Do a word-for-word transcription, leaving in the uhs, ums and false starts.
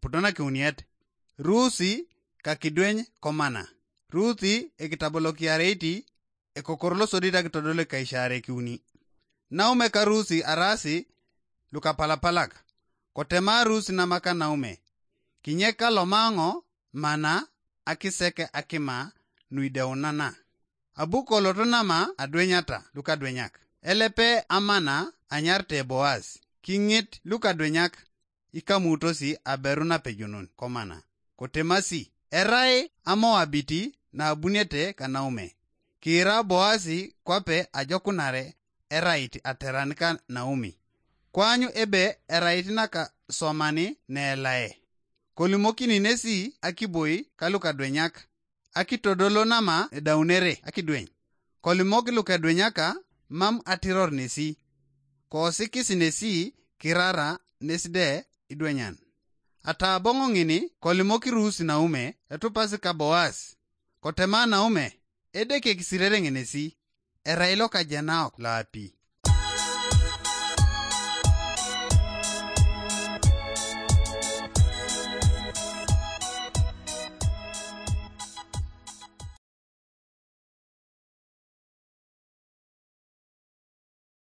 putonakiuniet. Rusi kakidweny komana. Rusi ekitabolokiareiti ekokor losodit akitodol ekaisharekiuni. Naume ka Rusi arasi lukapalapalak. Kotema Rusi namaka naume. Kinye kalomaŋo mana akiseke akima nuideunana. Abu koloto nama adwenyata lukadwenyak. Elepe amana anyarte Boas. Kiŋit lukadwenyak ikamutosi aberu napejonon komana. Kotemasi, erai Amoabiti naabunete kanaume. Kiira Boasi kwape ajokunare erait ateran ka Naomi. Kwaanyu ebe erait nakaswamani neelae. Kolimokini nesi akiboi kalukadwenyak akitodolo nama edaunere akidweny. Kolimok lukedwenyaka mam atiror nesi. Koosikis nesi kirara nes de idwenyan. Ataboŋo ŋini kolimok Rusi naume etupasi ka Boas. Kotema naume, edeke kisirere ŋenesi, erai lokajenaok loapi.